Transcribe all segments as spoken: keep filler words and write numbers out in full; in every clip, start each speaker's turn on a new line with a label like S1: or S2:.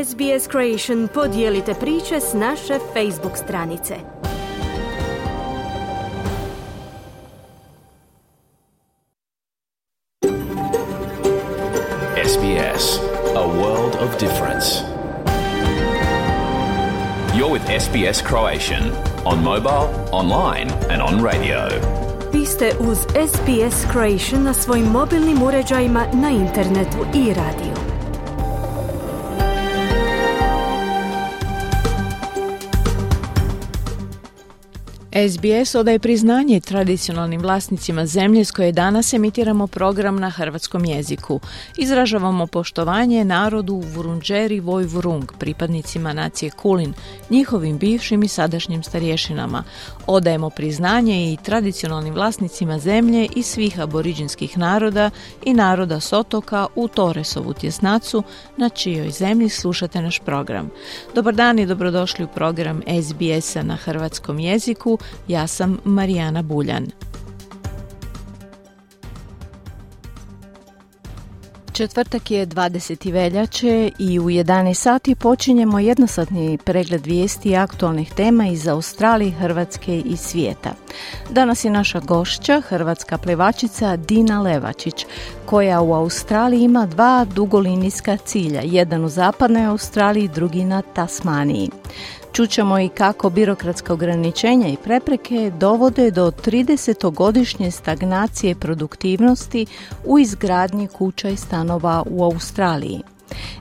S1: S B S Creation podijelite priče s naše Facebook stranice.
S2: S B S, a world of difference. You're with S B S Croatian on mobile, online and on radio.
S1: Vi ste uz S B S Croatian na svojim mobilnim uređajima, na internetu i radiju.
S3: S B S odaje priznanje tradicionalnim vlasnicima zemlje s koje danas emitiramo program na hrvatskom jeziku. Izražavamo poštovanje narodu Vurundjeri Woi-wurrung, pripadnicima nacije Kulin, njihovim bivšim i sadašnjim starješinama. Odajemo priznanje i tradicionalnim vlasnicima zemlje i svih aboriđinskih naroda i naroda s otoka u Torresovu tjesnacu, na čijoj zemlji slušate naš program. Dobar dan i dobrodošli u program S B S-a na hrvatskom jeziku. Ja sam Marijana Buljan. Četvrtak je dvadeseti veljače i u jedanaest sati počinjemo jednosatni pregled vijesti i aktualnih tema iz Australije, Hrvatske i svijeta. Danas je naša gošća, hrvatska plevačica Dina Levačić, koja u Australiji ima dva dugolinijska cilja, jedan u zapadnoj Australiji, drugi na Tasmaniji. Čućemo i kako birokratska ograničenja i prepreke dovode do tridesetogodišnje stagnacije produktivnosti u izgradnji kuća i stanova u Australiji.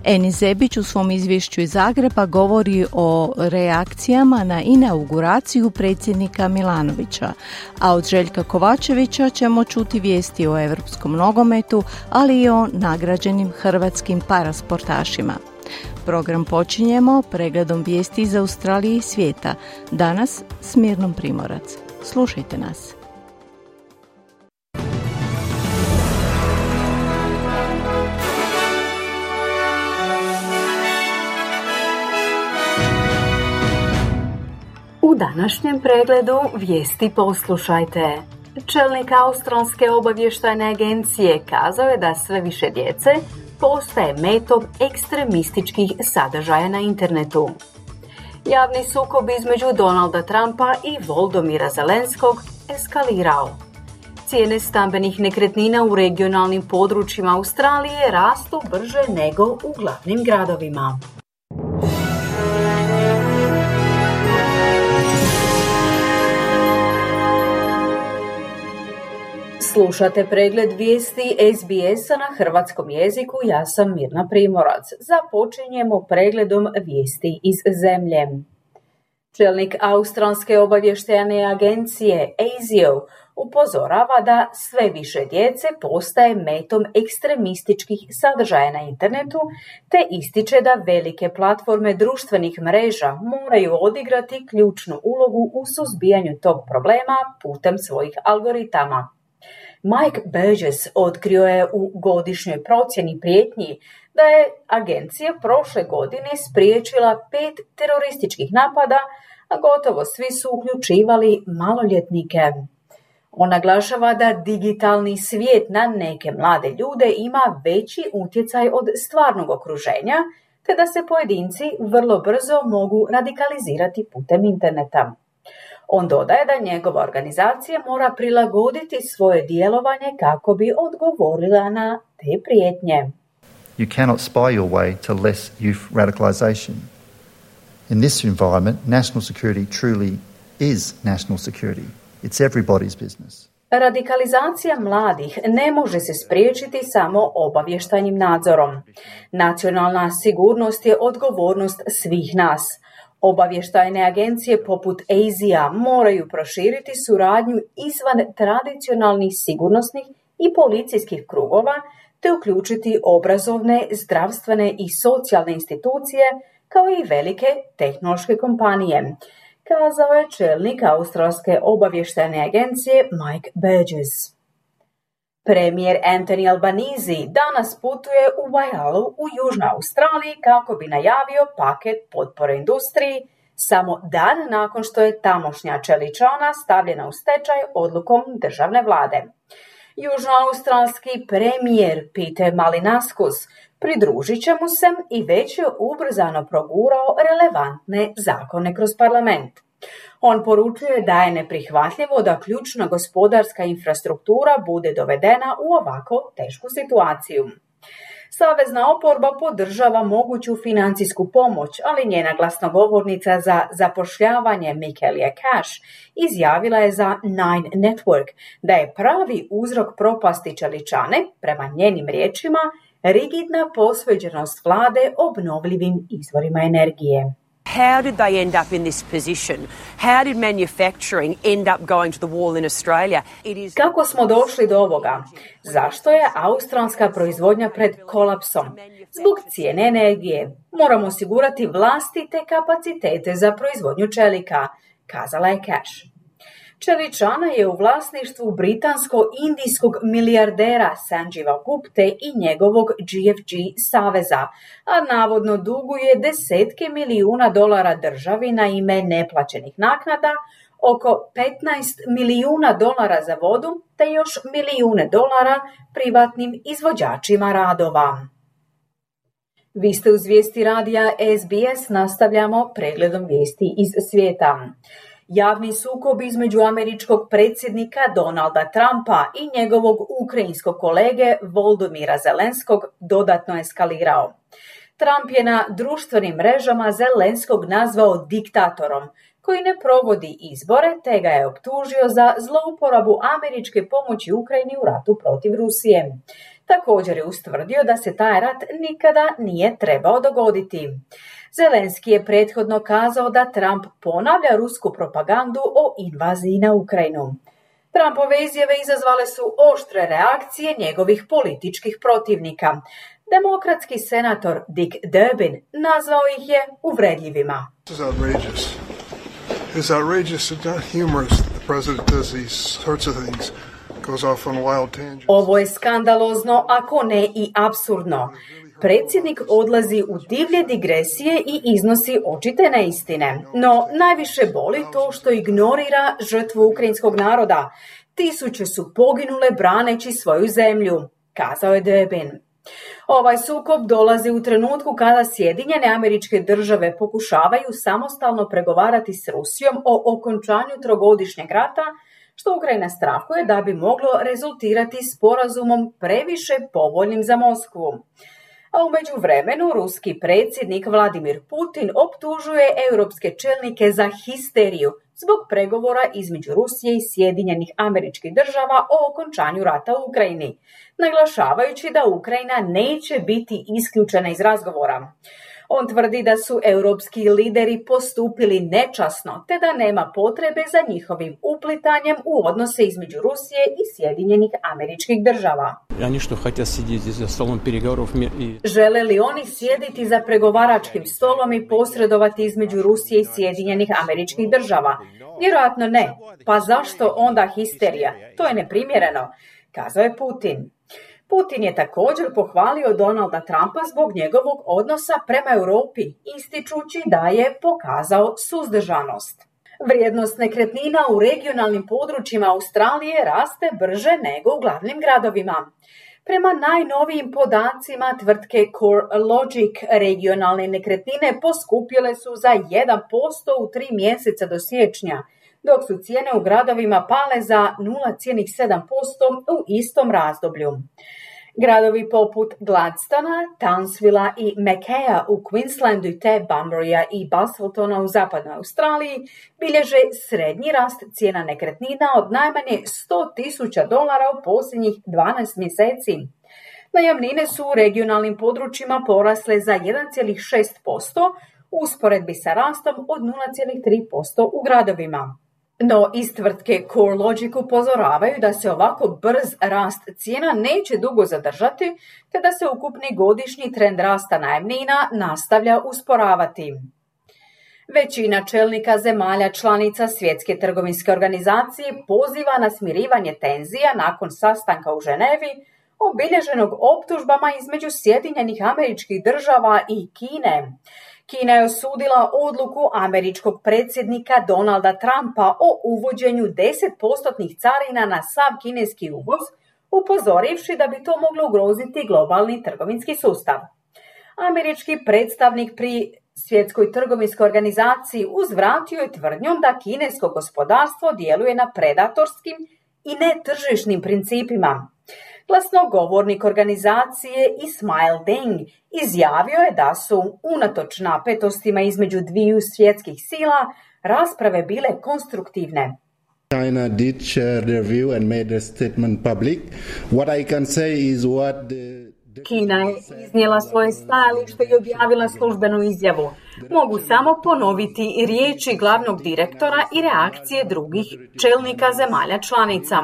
S3: Eni Zebić u svom izvješću iz Zagreba govori o reakcijama na inauguraciju predsjednika Milanovića, a od Željka Kovačevića ćemo čuti vijesti o europskom nogometu, ali i o nagrađenim hrvatskim parasportašima. Program počinjemo pregledom vijesti iz Australije i svijeta. Danas s Mirnom Primorac. Slušajte nas.
S4: U današnjem pregledu vijesti poslušajte. Čelnik Australske obavještajne agencije kazao je da sve više djece postaje metom ekstremističkih sadržaja na internetu. Javni sukob između Donalda Trumpa i Volodymyra Zelenskog eskalirao. Cijene stambenih nekretnina u regionalnim područjima Australije rastu brže nego u glavnim gradovima. Slušate pregled vijesti S B S-a na hrvatskom jeziku, ja sam Mirna Primorac. Započinjemo pregledom vijesti iz zemlje. Čelnik Australske obavještajne agencije A S I O upozorava da sve više djece postaje metom ekstremističkih sadržaja na internetu, te ističe da velike platforme društvenih mreža moraju odigrati ključnu ulogu u suzbijanju tog problema putem svojih algoritama. Mike Burgess otkrio je u godišnjoj procjeni prijetnji da je agencija prošle godine spriječila pet terorističkih napada, a gotovo svi su uključivali maloljetnike. On naglašava da digitalni svijet na neke mlade ljude ima veći utjecaj od stvarnog okruženja, te da se pojedinci vrlo brzo mogu radikalizirati putem interneta. On dodaje da njegova organizacija mora prilagoditi svoje djelovanje kako bi odgovorila na te prijetnje.
S5: You cannot spy your way to less youth radicalization. In this environment, national security truly is national security. It's everybody's business.
S4: Radikalizacija mladih ne može se spriječiti samo obavještajnim nadzorom. Nacionalna sigurnost je odgovornost svih nas. Obavještajne agencije poput A S I A moraju proširiti suradnju izvan tradicionalnih sigurnosnih i policijskih krugova, te uključiti obrazovne, zdravstvene i socijalne institucije, kao i velike tehnološke kompanije, kazao je čelnik Australske obavještajne agencije Mike Burgess. Premijer Anthony Albanese danas putuje u Waialu u Južnoj Australiji kako bi najavio paket potpore industriji, samo dan nakon što je tamošnja čeličana stavljena u stečaj odlukom državne vlade. Južnoaustralski premijer Peter Malinauskas Pridružit će mu se i već je ubrzano progurao relevantne zakone kroz parlament. On poručuje da je neprihvatljivo da ključna gospodarska infrastruktura bude dovedena u ovako tešku situaciju. Savezna oporba podržava moguću financijsku pomoć, ali njena glasnogovornica za zapošljavanje Michaelia Cash izjavila je za Nine Network da je pravi uzrok propasti čeličane, prema njenim riječima, rigidna posvećenost vlade obnovljivim izvorima energije.
S6: How did they end up in this position? How did manufacturing end up going to the wall in Australia? It is...
S4: Kako smo došli do ovoga? Zašto je australska proizvodnja pred kolapsom? Zbog cijene energije. Moramo osigurati vlastite kapacitete za proizvodnju čelika, kazala je Cash. Čeličana je u vlasništvu britansko-indijskog milijardera Sanjeeva Gupte i njegovog G F G saveza, a navodno duguje desetke milijuna dolara državi na ime neplaćenih naknada, oko petnaest milijuna dolara za vodu te još milijune dolara privatnim izvođačima radova. Vi ste uz vijesti radija S B S, nastavljamo pregledom vijesti iz svijeta. Javni sukob između američkog predsjednika Donalda Trumpa i njegovog ukrajinskog kolege Volodymyra Zelenskog dodatno eskalirao. Trump je na društvenim mrežama Zelenskog nazvao diktatorom, koji ne provodi izbore, te ga je optužio za zlouporabu američke pomoći Ukrajini u ratu protiv Rusije. Također je ustvrdio da se taj rat nikada nije trebao dogoditi. Zelenski je prethodno kazao da Trump ponavlja rusku propagandu o invaziji na Ukrajinu. Trumpove izjave izazvale su oštre reakcije njegovih političkih protivnika. Demokratski senator Dick Durbin nazvao ih je uvredljivima.
S7: It's outrageous and not humorous that the president does these sorts of things. Goes off on wild tangents.
S4: Ovo je skandalozno, ako ne i apsurdno. Predsjednik odlazi u divlje digresije i iznosi očite neistine. No, najviše boli to što ignorira žrtvu ukrajinskog naroda. Tisuće su poginule braneći svoju zemlju, kazao je Durbin. Ovaj sukob dolazi u trenutku kada Sjedinjene Američke Države pokušavaju samostalno pregovarati s Rusijom o okončanju trogodišnjeg rata, što Ukrajina strahuje da bi moglo rezultirati sporazumom previše povoljnim za Moskvu. A u međuvremenu ruski predsjednik Vladimir Putin optužuje europske čelnike za histeriju zbog pregovora između Rusije i Sjedinjenih Američkih Država o okončanju rata u Ukrajini, naglašavajući da Ukrajina neće biti isključena iz razgovora. On tvrdi da su europski lideri postupili nečasno, te da nema potrebe za njihovim uplitanjem u odnose između Rusije i Sjedinjenih Američkih Država. Žele li oni sjediti za pregovaračkim stolom i posredovati između Rusije i Sjedinjenih Američkih Država? Vjerojatno ne. Pa zašto onda histerija? To je neprimjereno, kazao je Putin. Putin je također pohvalio Donalda Trumpa zbog njegovog odnosa prema Europi, ističući da je pokazao suzdržanost. Vrijednost nekretnina u regionalnim područjima Australije raste brže nego u glavnim gradovima. Prema najnovijim podacima tvrtke CoreLogic, regionalne nekretnine poskupjele su za jedan posto u tri mjeseca do siječnja, dok su cijene u gradovima pale za nula zarez sedam posto u istom razdoblju. Gradovi poput Gladstona, Townsvilla i Mackaya u Queenslandu te Bunburya i Busseltona u zapadnoj Australiji bilježe srednji rast cijena nekretnina od najmanje sto tisuća dolara u posljednjih dvanaest mjeseci. Najamnine su u regionalnim područjima porasle za jedan zarez šest posto u usporedbi sa rastom od nula zarez tri posto u gradovima. No, iz tvrtke CoreLogic upozoravaju da se ovako brz rast cijena neće dugo zadržati, te da se ukupni godišnji trend rasta najamnina nastavlja usporavati. Većina čelnika zemalja članica Svjetske trgovinske organizacije poziva na smirivanje tenzija nakon sastanka u Ženevi, obilježenog optužbama između Sjedinjenih Američkih Država i Kine. Kina je osudila odluku američkog predsjednika Donalda Trumpa o uvođenju deset posto carina na sav kineski uvoz, upozorivši da bi to moglo ugroziti globalni trgovinski sustav. Američki predstavnik pri Svjetskoj trgovinskoj organizaciji uzvratio je tvrdnjom da kinesko gospodarstvo djeluje na predatorskim i netržišnim principima. Glasnogovornik organizacije Ismail Deng izjavio je da su, unatoč napetostima između dviju svjetskih sila, rasprave bile konstruktivne.
S8: China did share their view and made their statement public. What I can say is what the
S4: Kina je iznijela svoje stajalište i objavila službenu izjavu. Mogu samo ponoviti riječi glavnog direktora i reakcije drugih čelnika zemalja članica.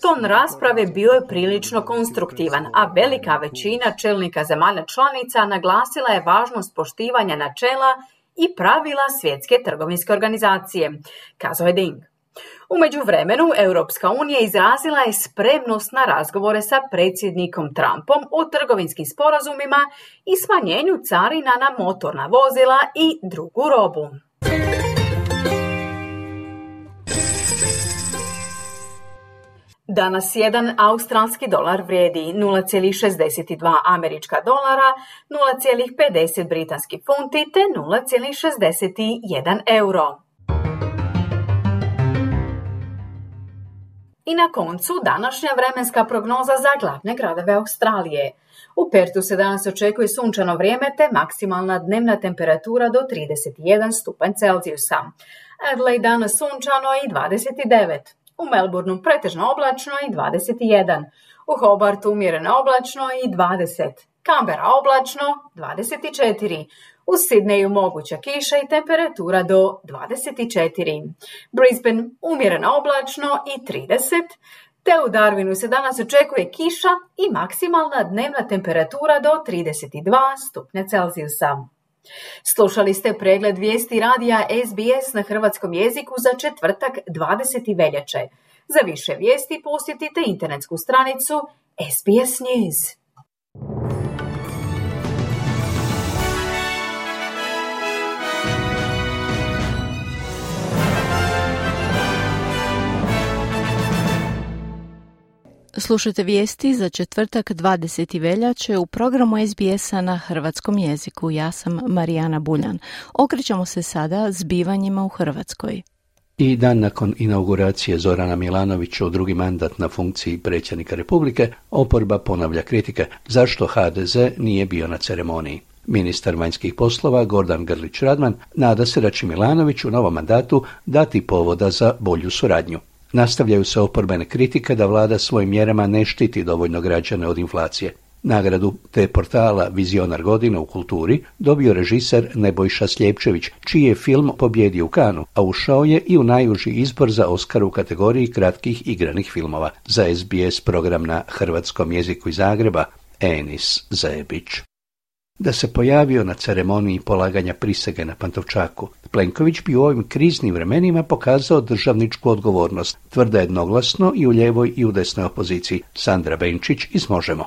S4: Ton rasprave bio je prilično konstruktivan, a velika većina čelnika zemalja članica naglasila je važnost poštivanja načela i pravila Svjetske trgovinske organizacije, kazao je Deng. U međuvremenu, Europska unija izrazila je spremnost na razgovore sa predsjednikom Trumpom o trgovinskim sporazumima i smanjenju carina na motorna vozila i drugu robu. Danas jedan australski dolar vrijedi nula zarez šezdeset dva američka dolara, nula zarez pedeset britanski funti te nula zarez šezdeset jedan euro. I na koncu današnja vremenska prognoza za glavne gradove Australije. U Pertu se danas očekuje sunčano vrijeme te maksimalna dnevna temperatura do trideset jedan stupanj Celzijusa. Adelaide danas sunčano i dvadeset devet. U Melbourneu pretežno oblačno i dvadeset jedan. U Hobartu umjereno oblačno i dvadeset. Canberra oblačno dvadeset četiri. U Sidneju moguća kiša i temperatura do dvadeset četiri. Brisbane umjereno oblačno i trideset. Te u Darwinu se danas očekuje kiša i maksimalna dnevna temperatura do trideset dva stupnja Celzijusa. Slušali ste pregled vijesti radija S B S na hrvatskom jeziku za četvrtak dvadeseti veljače. Za više vijesti posjetite internetsku stranicu S B S News.
S3: Slušajte vijesti za četvrtak dvadeseti veljače u programu S B S-a na hrvatskom jeziku. Ja sam Marijana Buljan. Okrećemo se sada zbivanjima u Hrvatskoj.
S9: I dan nakon inauguracije Zorana Milanovića u drugi mandat na funkciji predsjednika Republike, oporba ponavlja kritike zašto H D Z nije bio na ceremoniji. Ministar vanjskih poslova Gordan Grlić Radman nada se da će Milanović u novom mandatu dati povoda za bolju suradnju. Nastavljaju se oporbene kritike da vlada svojim mjerama ne štiti dovoljno građane od inflacije. Nagradu te portala Vizionar godine u kulturi dobio režiser Nebojša Sljepčević, čiji je film pobjedio u Kanu, a ušao je i u najuži izbor za Oskar u kategoriji kratkih igranih filmova. Za S B S program na hrvatskom jeziku iz Zagreba, Enis Zebić. Da se pojavio na ceremoniji polaganja prisege na Pantovčaku, Plenković bi u ovim kriznim vremenima pokazao državničku odgovornost, tvrda jednoglasno i u lijevoj i u desnoj opoziciji. Sandra Benčić iz Možemo.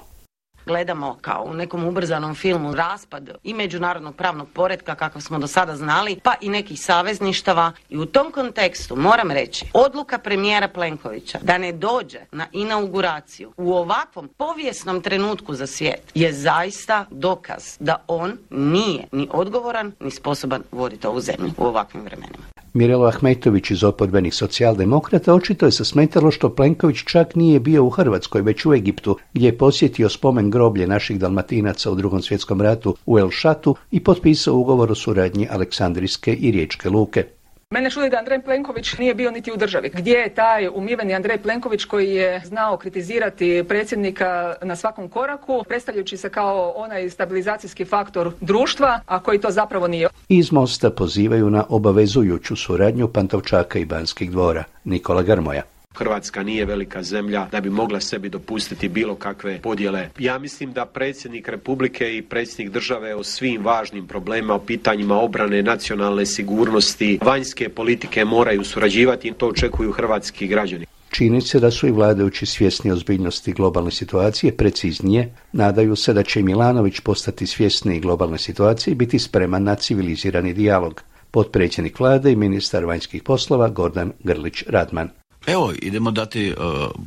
S10: Gledamo kao u nekom ubrzanom filmu raspad i međunarodnog pravnog poretka kakav smo do sada znali, pa i nekih savezništava. I u tom kontekstu moram reći, odluka premijera Plenkovića da ne dođe na inauguraciju u ovakvom povijesnom trenutku za svijet je zaista dokaz da on nije ni odgovoran ni sposoban voditi ovu zemlju u ovakvim vremenima.
S9: Mirelo Ahmetović iz oporbenih socijaldemokrata očito je se smetalo što Plenković čak nije bio u Hrvatskoj, već u Egiptu, gdje je posjetio spomen groblje naših Dalmatinaca u Drugom svjetskom ratu u El Šatu i potpisao ugovor o suradnji Aleksandrijske i Riječke luke.
S11: Mene čudi da Andrej Plenković nije bio niti u državi. Gdje je taj umiveni Andrej Plenković koji je znao kritizirati predsjednika na svakom koraku, predstavljajući se kao onaj stabilizacijski faktor društva, a koji to zapravo nije?
S9: Iz Mosta pozivaju na obavezujuću suradnju Pantovčaka i Banskih dvora. Nikola Grmoja.
S12: Hrvatska nije velika zemlja da bi mogla sebi dopustiti bilo kakve podjele. Ja mislim da predsjednik Republike i predsjednik države o svim važnim problemima, o pitanjima obrane, nacionalne sigurnosti, vanjske politike moraju surađivati i to očekuju hrvatski građani.
S9: Čini se da su i vladajući svjesni ozbiljnosti globalne situacije, preciznije, nadaju se da će Milanović postati svjesniji globalne situacije i biti spreman na civilizirani dijalog. Potpredsjednik vlade i ministar vanjskih poslova Gordan Grlić Radman.
S13: Evo, idemo dati uh,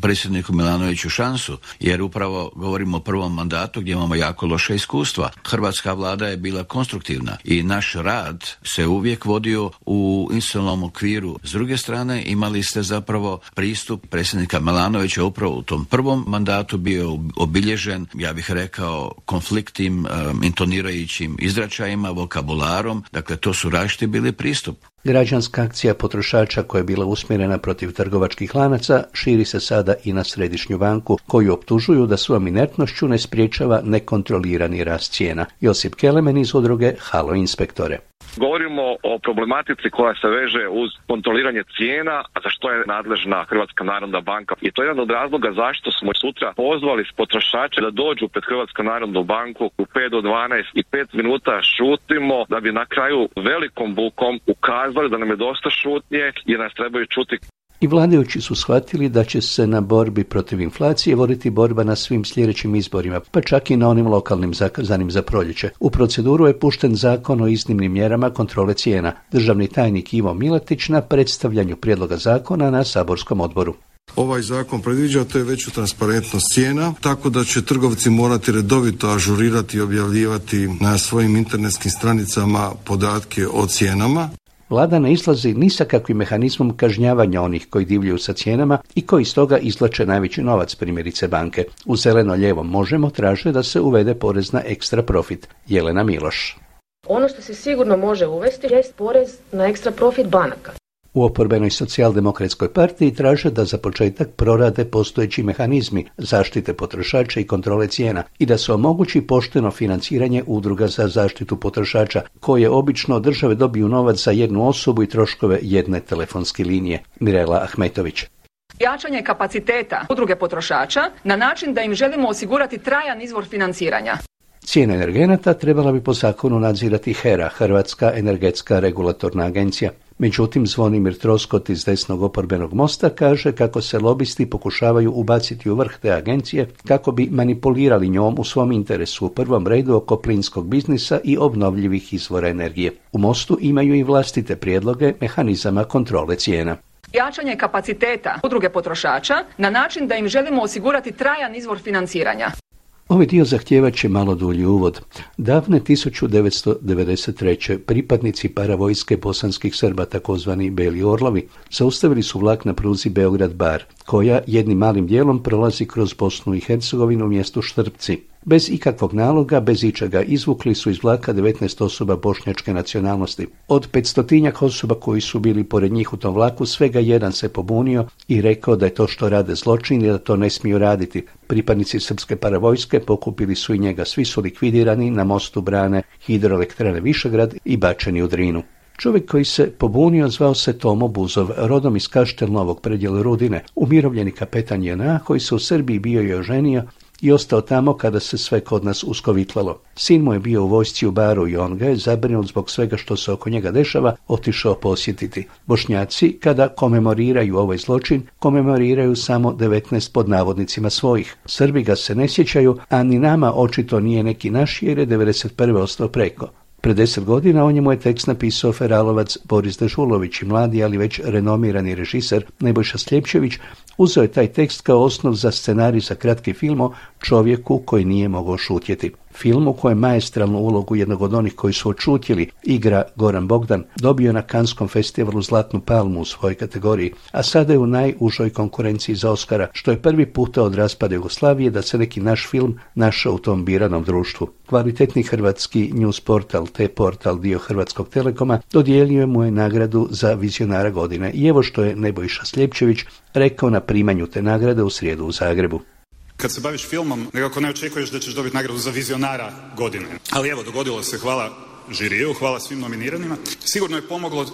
S13: predsjedniku Milanoviću šansu, jer upravo govorimo o prvom mandatu gdje imamo jako loše iskustva. Hrvatska vlada je bila konstruktivna i naš rad se uvijek vodio u institucionalnom okviru. S druge strane, imali ste zapravo pristup predsjednika Milanovića upravo u tom prvom mandatu bio obilježen, ja bih rekao, konfliktnim, um, intonirajućim izračajima, vokabularom. Dakle, to su različiti bili pristup.
S9: Građanska akcija potrošača koja je bila usmjerena protiv trgovačkih lanaca širi se sada i na Središnju banku, koju optužuju da svojom inertnošću ne spriječava nekontrolirani rast cijena. Josip Kelemen iz udruge Halo Inspektore.
S14: Govorimo o problematici koja se veže uz kontroliranje cijena, a za što je nadležna Hrvatska narodna banka. I to je jedan od razloga zašto smo sutra pozvali potrošače da dođu pred Hrvatsku narodnu banku u pet do dvanaest i pet minuta šutimo, da bi na kraju velikom bukom ukazali da nam je dosta šutnje i nas trebaju čuti.
S9: I vladajući su shvatili da će se na borbi protiv inflacije voditi borba na svim sljedećim izborima, pa čak i na onim lokalnim zakazanim za proljeće. U proceduru je pušten zakon o iznimnim mjerama kontrole cijena. Državni tajnik Ivo Miletić na predstavljanju prijedloga zakona na saborskom odboru.
S15: Ovaj zakon predviđa to je veću transparentnost cijena, tako da će trgovci morati redovito ažurirati i objavljivati na svojim internetskim stranicama podatke o cijenama.
S9: Vlada ne izlazi ni sa kakvim mehanizmom kažnjavanja onih koji divljaju sa cijenama i koji iz toga izvlače najveći novac, primjerice banke. U zeleno-lijevom Možemo traže da se uvede porez na ekstra profit. Jelena Miloš.
S16: Ono što se sigurno može uvesti jest porez na ekstra profit banaka.
S9: U oporbenoj socijaldemokratskoj partiji traže da za početak prorade postojeći mehanizmi zaštite potrošača i kontrole cijena i da se omogući pošteno financiranje udruga za zaštitu potrošača, koje obično od države dobiju novac za jednu osobu i troškove jedne telefonske linije. Mirela Ahmetović.
S11: Jačanje kapaciteta udruge potrošača na način da im želimo osigurati trajan izvor financiranja.
S9: Cijene energenata trebala bi po zakonu nadzirati HERA, Hrvatska energetska regulatorna agencija. Međutim, Zvonimir Troskot iz desnog oporbenog mosta kaže kako se lobisti pokušavaju ubaciti u vrh te agencije kako bi manipulirali njom u svom interesu, u prvom redu oko plinskog biznisa i obnovljivih izvora energije. U Mostu imaju i vlastite prijedloge mehanizama kontrole cijena.
S11: Jačanje kapaciteta udruge potrošača na način da im želimo osigurati trajan izvor financiranja.
S9: Ovaj dio zahtijevat će malo dulji uvod. Davne tisuću devetsto devedeset treće pripadnici paravojske bosanskih Srba, takozvani Beli orlovi, zaustavili su vlak na pruzi Beograd-Bar, koja jednim malim dijelom prolazi kroz Bosnu i Hercegovinu u mjestu Štrpci. Bez ikakvog naloga, bez ičega, izvukli su iz vlaka devetnaest osoba bošnjačke nacionalnosti. Od petstotinjak osoba koji su bili pored njih u tom vlaku, svega jedan se pobunio i rekao da je to što rade zločin i da to ne smiju raditi. Pripadnici srpske paravojske pokupili su i njega. Svi su likvidirani na mostu brane hidroelektrane Višegrad i bačeni u Drinu. Čovjek koji se pobunio zvao se Tomo Buzov, rodom iz Kaštel Novog predjela Rudine, umirovljeni kapetan J N A koji se u Srbiji bio i oženio i ostao tamo kada se sve kod nas uskovitlalo. Sin mu je bio u vojsci u Baru i on ga je, zabrinut zbog svega što se oko njega dešava, otišao posjetiti. Bošnjaci, kada komemoriraju ovaj zločin, komemoriraju samo devetnaest pod navodnicima svojih. Srbi ga se ne sjećaju, a ni nama očito nije neki naš jer je devedeset prve ostao preko. Pred deset godina o njemu je tekst napisao feralovac Boris Dežulović i mladi, ali već renomirani režiser Nebojša Sljepčević uzeo je taj tekst kao osnov za scenarij za kratki film o čovjeku koji nije mogao šutjeti. Film u kojem maestralnu ulogu jednog od onih koji su odšutjeli igra Goran Bogdan, dobio na Kanskom festivalu Zlatnu palmu u svojoj kategoriji, a sada je u najužoj konkurenciji za Oskara, što je prvi puta od raspada Jugoslavije da se neki naš film našao u tom biranom društvu. Kvalitetni hrvatski news portal, T-portal, dio Hrvatskog Telekoma, dodijelio mu je nagradu za vizionara godine. I evo što je Nebojša Sljepčević rekao na primanju te nagrade u srijedu u Zagrebu.
S17: Kad se baviš filmom, nekako ne očekuješ da ćeš dobiti nagradu za vizionara godine. Ali evo, dogodilo se, hvala žiriju, hvala svim nominiranima. Sigurno je pomoglo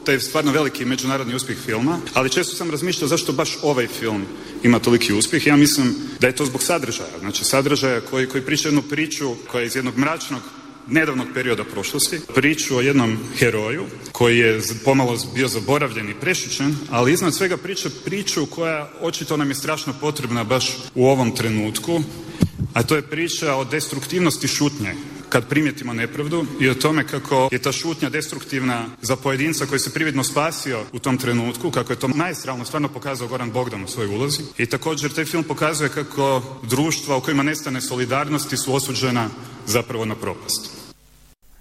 S17: taj stvarno veliki međunarodni uspjeh filma, ali često sam razmišljao zašto baš ovaj film ima toliki uspjeh. Ja mislim da je to zbog sadržaja. Znači sadržaja koji, koji priča jednu priču koja je iz jednog mračnog nedavnog perioda prošlosti, priču o jednom heroju koji je pomalo bio zaboravljen i prešućen, ali iznad svega priča priču koja očito nam je strašno potrebna baš u ovom trenutku, a to je priča o destruktivnosti šutnje kad primijetimo nepravdu i o tome kako je ta šutnja destruktivna za pojedinca koji se prividno spasio u tom trenutku, kako je to maestralno stvarno pokazao Goran Bogdan u svojoj ulozi. I također taj film pokazuje kako društva u kojima nestane solidarnosti su osuđena zapravo na propast.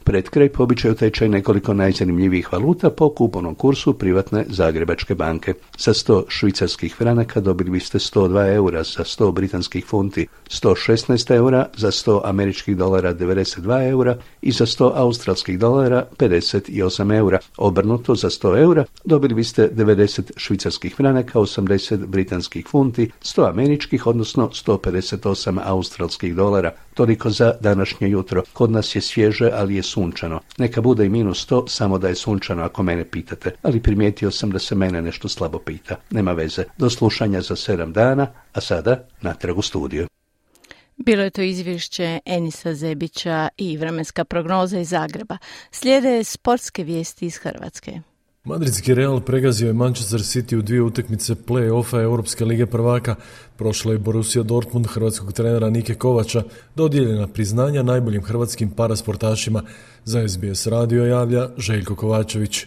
S9: Pred kraj po običaju tečaj nekoliko najzanimljivijih valuta po kupovnom kursu privatne Zagrebačke banke. Sa sto švicarskih franaka dobili biste sto dva eura, za sto britanskih funti sto šesnaest eura, za sto američkih dolara devedeset dva eura i za sto australskih dolara pedeset osam eura. Obrnuto, za sto eura dobili biste devedeset švicarskih franaka, osamdeset britanskih funti, sto američkih, odnosno sto pedeset osam australskih dolara. Toliko za današnje jutro. Kod nas je svježe, ali je sunčano. Neka bude i minus sto, samo da je sunčano ako mene pitate. Ali primijetio sam da se mene nešto slabo pita. Nema veze. Do slušanja za sedam dana, a sada natrag u studiju.
S3: Bilo je to izvješće Enisa Zebića i vremenska prognoza iz Zagreba. Slijede sportske vijesti iz Hrvatske.
S18: Madridski Real pregazio je Manchester City u dvije utakmice play-offa Europske lige prvaka. Prošla je Borussia Dortmund hrvatskog trenera Nike Kovača, dodijeljena priznanja najboljim hrvatskim parasportašima. Za S B S radio javlja Željko Kovačević.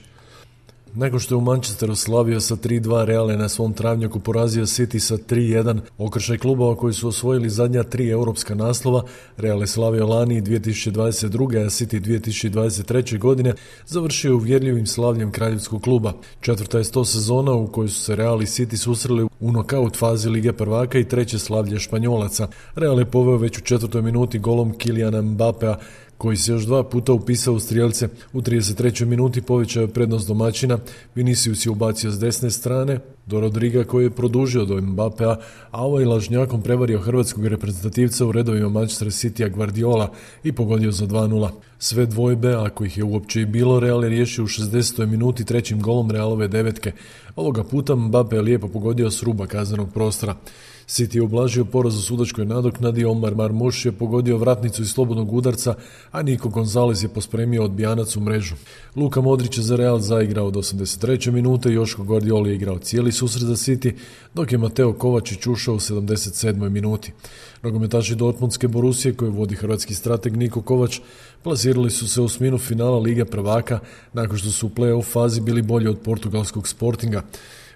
S18: Nakon što je u Manchesteru slavio sa tri dva, Real je na svom travnjaku porazio City sa tri jedan. Okršaj klubova koji su osvojili zadnja tri europska naslova, Real je slavio lani dvije tisuće dvadeset druge. a City dvije tisuće dvadeset treće. godine završio uvjerljivim slavljem kraljevskog kluba. Četvrta je sto sezona u kojoj su se Real i City susreli u nokaut fazi Lige prvaka i treće slavlje Španjolaca. Real je poveo već u četvrtoj minuti golom Kyliana Mbappea, koji se još dva puta upisao u strijelce. U trideset trećoj minuti povećao je prednost domaćina, Vinicius je ubacio s desne strane do Rodriga koji je produžio do Mbappea, a ovaj lažnjakom prevario hrvatskog reprezentativca u redovima Manchester Citya Guardiola i pogodio za dva nula. Sve dvojbe, ako ih je uopće i bilo, Real je riješio u šezdesetoj minuti trećim golom Realove devetke. Ovoga puta Mbappe je lijepo pogodio s ruba kaznenog prostora. City je ublažio poraz u sudačkoj nadoknadi, Omar Marmuš je pogodio vratnicu iz slobodnog udarca, a Nico Gonzalez je pospremio odbijanac u mrežu. Luka Modrić je za Real zaigrao do osamdeset treće minute, Joško Guardiola je igrao cijeli susret za City, dok je Mateo Kovačić ušao u sedamdeset sedmoj minuti. Nogometaši Dortmundske Borusije, koje vodi hrvatski strateg Niko Kovač, plasirali su se u osminu finala Lige prvaka nakon što su u play-off fazi bili bolji od portugalskog Sportinga.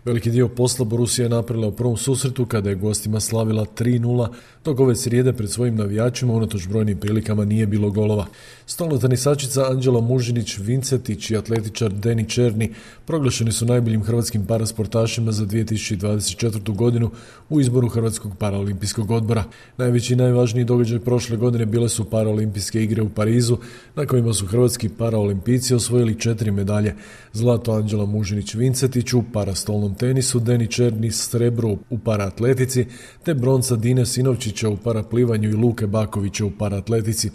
S18: Veliki dio posla Borussia je napravila u prvom susretu kada je gostima slavila tri nula, dok ove srijede pred svojim navijačima unatoč brojnim prilikama nije bilo golova. Stolna tenisačica Anđela Mužinić-Vincetić i atletičar Deni Černi proglašeni su najboljim hrvatskim parasportašima za dvije tisuće dvadeset četvrtu. godinu u izboru Hrvatskog paraolimpijskog odbora. Najveći i najvažniji događaj prošle godine bile su paraolimpijske igre u Parizu, na kojima su hrvatski paraolimpijci osvojili četiri medalje. Zlato Anđela Mužinić-Vincetić u parastolnom tenisu, Deni Černi srebro u paraatletici, te bronca Dine Sinovčića u paraplivanju i Luke Bakovića u paraatletici.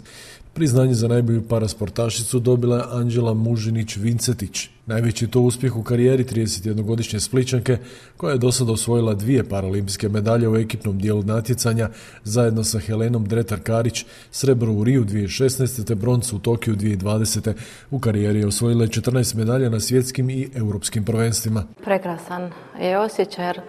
S18: Priznanje za najbolju parasportašicu dobila je Anđela Mužinić-Vincetić. Najveći to uspjeh u karijeri tridesetjednogodišnje Splićanke, koja je do sada osvojila dvije paraolimpijske medalje u ekipnom dijelu natjecanja zajedno sa Helenom Dretar-Karić, srebro u Riju dvije tisuće šesnaeste. te broncu u Tokiju dvije tisuće dvadesete. U karijeri je osvojila četrnaest medalja na svjetskim i europskim prvenstvima.
S16: Prekrasan je osjećaj jer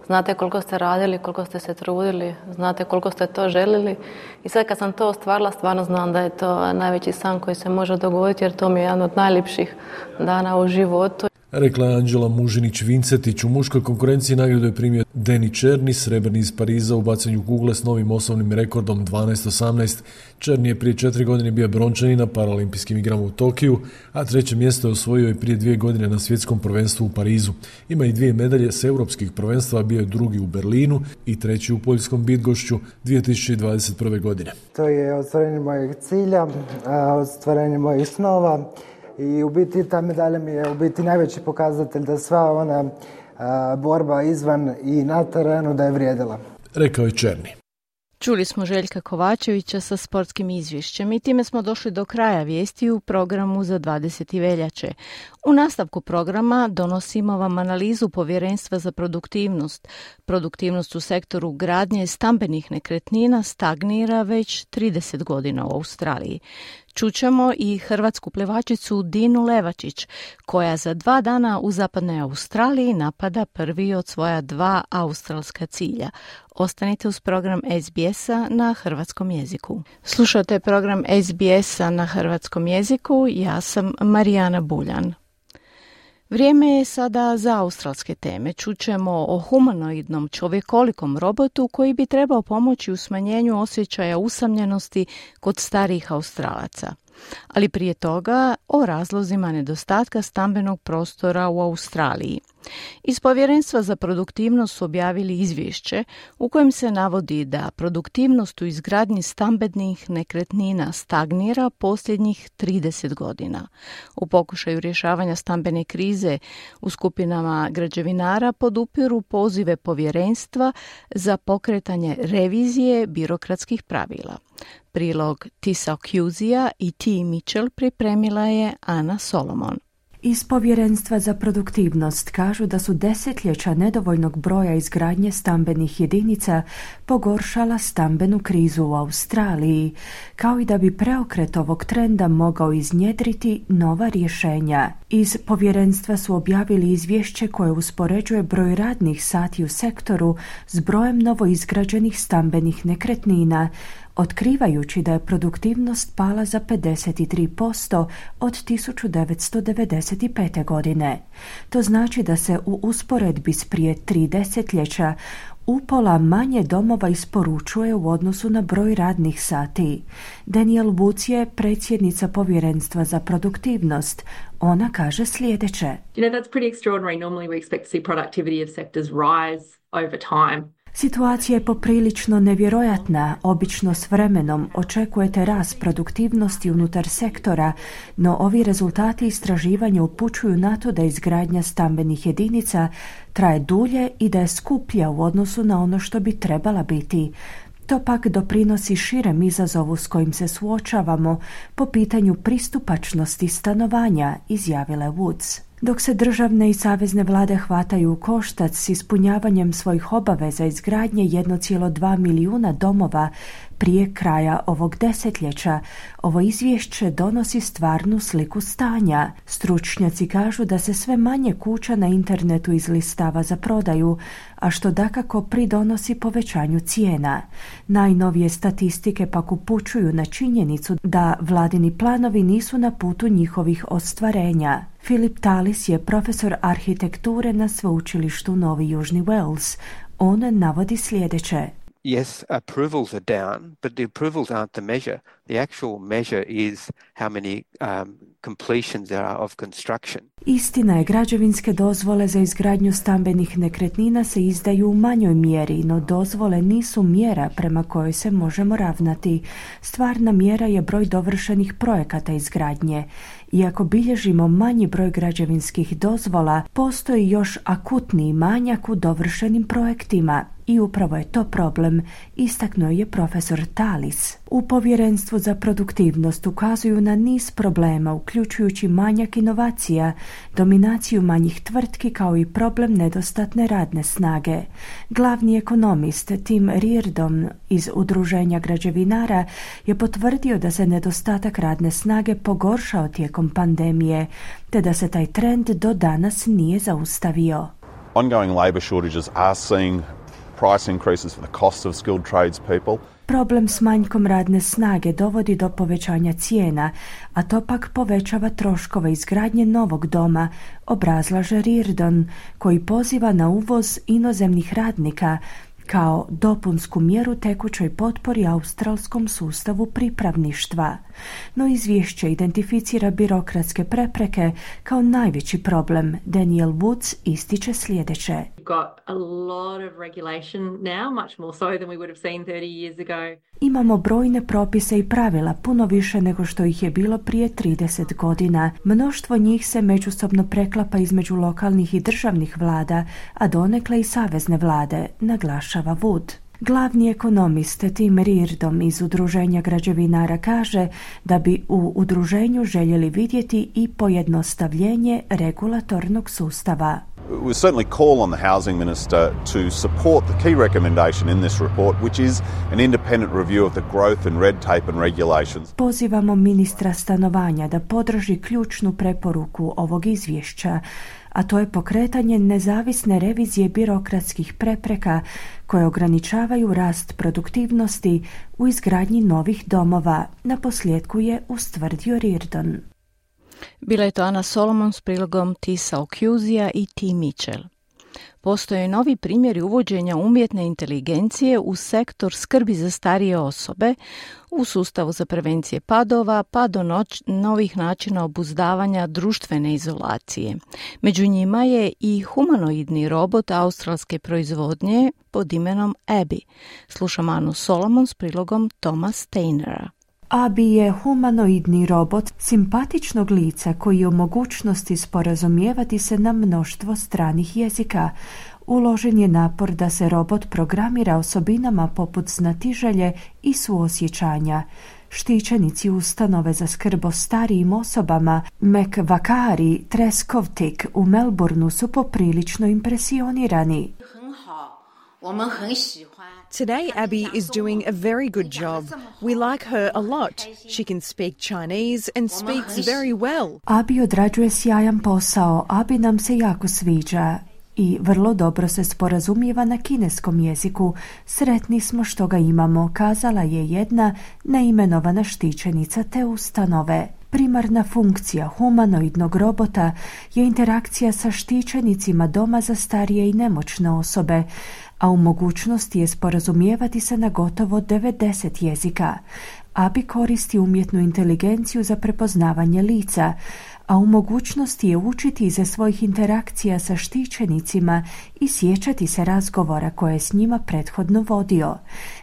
S16: znate koliko ste radili, koliko ste se trudili, znate koliko ste to želili i sad kad sam to ostvarila, stvarno znam da je to najveći san koji se može dogoditi jer to mi je jedan od najljepših dana u životu.
S18: Rekla je Anđela Mužinić-Vincetić. U muškoj konkurenciji nagradu je primio Deni Černi, srebrni iz Pariza u bacanju kugle s novim osnovnim rekordom dvanaest osamnaest. Černi je prije četiri godine bio brončani na paraolimpijskim igrama u Tokiju, a treće mjesto je osvojio i prije dvije godine na svjetskom prvenstvu u Parizu. Ima i dvije medalje s europskih prvenstva, bio je drugi u Berlinu i treći u poljskom Bydgošću dvije tisuće dvadeset prve. godine.
S19: To je ostvarenje mojeg cilja, ostvarenje mojih snova. I u biti ta medalja mi je u biti najveći pokazatelj da sva ona a, borba izvan i na terenu da je vrijedila.
S18: Rekao je Černi.
S3: Čuli smo Željka Kovačevića sa sportskim izvješćem i time smo došli do kraja vijesti u programu za dvadeseti veljače. U nastavku programa donosimo vam analizu Povjerenstva za produktivnost. Produktivnost u sektoru gradnje stambenih nekretnina stagnira već trideset godina u Australiji. Čućemo i hrvatsku plivačicu Dinu Levačić, koja za dva dana u zapadnoj Australiji napada prvi od svoja dva australska cilja. Ostanite uz program S B S-a na hrvatskom jeziku. Slušate program S B S-a na hrvatskom jeziku, ja sam Marijana Buljan. Vrijeme je sada za australske teme. Čućemo o humanoidnom čovjekolikom robotu koji bi trebao pomoći u smanjenju osjećaja usamljenosti kod starijih Australaca. Ali prije toga o razlozima nedostatka stambenog prostora u Australiji. Iz Povjerenstva za produktivnost su objavili izvješće u kojem se navodi da produktivnost u izgradnji stambenih nekretnina stagnira posljednjih trideset godina. U pokušaju rješavanja stambene krize u skupinama građevinara podupiru pozive Povjerenstva za pokretanje revizije birokratskih pravila. Prilog Tisa Ocusija i T. Mitchell pripremila je Ana Solomon.
S1: Iz Povjerenstva za produktivnost kažu da su desetljeća nedovoljnog broja izgradnje stambenih jedinica pogoršala stambenu krizu u Australiji, kao i da bi preokret ovog trenda mogao iznjedriti nova rješenja. Iz Povjerenstva su objavili izvješće koje uspoređuje broj radnih sati u sektoru s brojem novoizgrađenih stambenih nekretnina, otkrivajući da je produktivnost pala za pedeset tri posto od tisuću devetsto devedeset pete. godine. To znači da se u usporedbi s prije tri desetljeća upola manje domova isporučuje u odnosu na broj radnih sati. Danielle Woods je predsjednica Povjerenstva za produktivnost. Ona kaže sljedeće.
S20: You know, that's pretty extraordinary. Normally we expect to see productivity of sectors rise over time.
S1: Situacija je poprilično nevjerojatna. Obično s vremenom očekujete rast produktivnosti unutar sektora, no ovi rezultati istraživanja upućuju na to da izgradnja stambenih jedinica traje dulje i da je skuplja u odnosu na ono što bi trebala biti. To pak doprinosi širem izazovu s kojim se suočavamo po pitanju pristupačnosti stanovanja, izjavila Woods. Dok se državne i savezne vlade hvataju u koštac s ispunjavanjem svojih obaveza izgradnje jedan zarez dva milijuna domova prije kraja ovog desetljeća, ovo izvješće donosi stvarnu sliku stanja. Stručnjaci kažu da se sve manje kuća na internetu izlistava za prodaju, a što dakako pridonosi povećanju cijena. Najnovije statistike pak upućuju na činjenicu da vladini planovi nisu na putu njihovih ostvarenja. Philip Tallis je profesor arhitekture na sveučilištu Novi Južni Wales. On navodi sljedeće.
S21: Yes, approvals are down, but the approvals aren't the measure. The actual measure is how many um, completions there are of construction.
S1: Istina je, građevinske dozvole za izgradnju stambenih nekretnina se izdaju u manjoj mjeri, no dozvole nisu mjera prema kojoj se možemo ravnati. Stvarna mjera je broj dovršenih projekata izgradnje. Iako bilježimo manji broj građevinskih dozvola, postoji još akutniji manjak u dovršenim projektima. I upravo je to problem, istaknuo je profesor Tallis. U Povjerenstvu za produktivnost ukazuju na niz problema, uključujući manjak inovacija, dominaciju manjih tvrtki kao i problem nedostatne radne snage. Glavni ekonomist Tim Reardon iz Udruženja građevinara je potvrdio da se nedostatak radne snage pogoršao tijekom pandemije, te da se taj trend do danas nije zaustavio.
S22: Ongoing labor shortages are seeing price increases for the cost of skilled tradespeople.
S1: Problem s manjkom radne snage dovodi do povećanja cijena, a to pak povećava troškove izgradnje novog doma, obrazlaže Reardon, koji poziva na uvoz inozemnih radnika kao dopunsku mjeru tekućoj potpori australskom sustavu pripravništva. No izvješće identificira birokratske prepreke kao najveći problem. Danielle Woods ističe sljedeće. Imamo brojne propise i pravila, puno više nego što ih je bilo prije trideset godina. Mnoštvo njih se međusobno preklapa između lokalnih i državnih vlada, a donekle i savezne vlade, naglašava Wood. Glavni ekonomist Tim Reardon iz Udruženja građevinara kaže da bi u udruženju željeli vidjeti i pojednostavljenje regulatornog sustava.
S22: We certainly call on the housing minister to support the key recommendation in this report, which is an independent review of the growth in red tape and regulations.
S1: Pozivamo ministra stanovanja da podrži ključnu preporuku ovog izvješća, a to je pokretanje nezavisne revizije birokratskih prepreka koje ograničavaju rast produktivnosti u izgradnji novih domova, naposljetku je ustvrdio Reardon.
S3: Bila je to Ana Solomon s prilogom Tisa Okjuzija i T. Mitchell. Postoje novi primjeri uvođenja umjetne inteligencije u sektor skrbi za starije osobe, u sustavu za prevencije padova, pa do noć, novih načina obuzdavanja društvene izolacije. Među njima je i humanoidni robot australske proizvodnje pod imenom Abby. Slušam Anu Solomon s prilogom Toma Steinera.
S1: Abby je humanoidni robot simpatičnog lica koji je u mogućnosti sporazumijevati se na mnoštvo stranih jezika. Uložen je napor da se robot programira osobinama poput znatiželje i suosjećanja. Štićenici ustanove za skrb o starijim osobama Macquarie Treskovtik u Melbourneu su poprilično impresionirani.
S2: Today, Abby is doing a very good job. We like her a lot. She can speak Chinese and speaks very well.
S1: Abby odrađuje sjajan posao, Abby nam se jako sviđa i vrlo dobro se sporazumijeva na kineskom jeziku. Sretni smo što ga imamo, kazala je jedna neimenovana štićenica te ustanove. Primarna funkcija humanoidnog robota je interakcija sa štićenicima doma za starije i nemoćne osobe, a u mogućnosti je sporazumijevati se na gotovo devedeset jezika. Abby koristi umjetnu inteligenciju za prepoznavanje lica, a u mogućnosti je učiti iza svojih interakcija sa štićenicima i sjećati se razgovora koje je s njima prethodno vodio.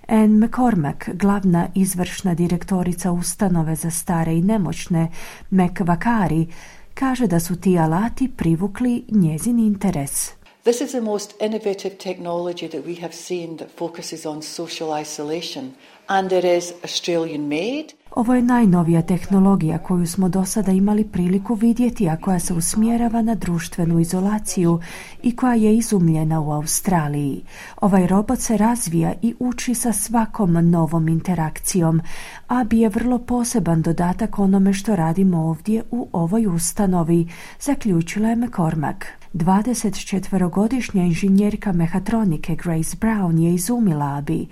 S1: Anne McCormack, glavna izvršna direktorica ustanove za stare i nemoćne Macquarie, kaže da su ti alati privukli njezin interes.
S5: This is the most innovative technology that we have seen that focuses on social isolation, and it is Australian made.
S1: Ovo je najnovija tehnologija koju smo do sada imali priliku vidjeti, a koja se usmjerava na društvenu izolaciju i koja je izumljena u Australiji. Ovaj robot se razvija i uči sa svakom novom interakcijom, a bi je vrlo poseban dodatak onome što radimo ovdje u ovoj ustanovi, zaključila je McCormack. dvadesetčetverogodišnja inženjerka mehatronike Grace Brown je izumila Abby.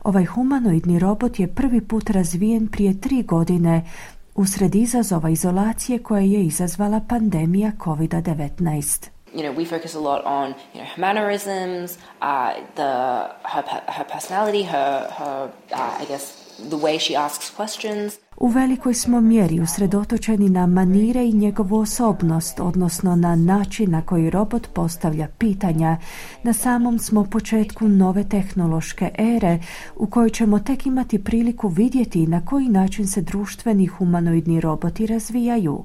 S1: Ovaj humanoidni robot je prvi put razvijen prije tri godine usred izazova izolacije koje je izazvala pandemija kovid devetnaest.
S23: You know, we focus a lot on, you know, her mannerisms, uh, the her her personality, her her uh, I guess the way she asks questions.
S1: U velikoj smo mjeri usredotočeni na manire i njegovu osobnost, odnosno na način na koji robot postavlja pitanja. Na samom smo početku nove tehnološke ere u kojoj ćemo tek imati priliku vidjeti na koji način se društveni humanoidni roboti razvijaju.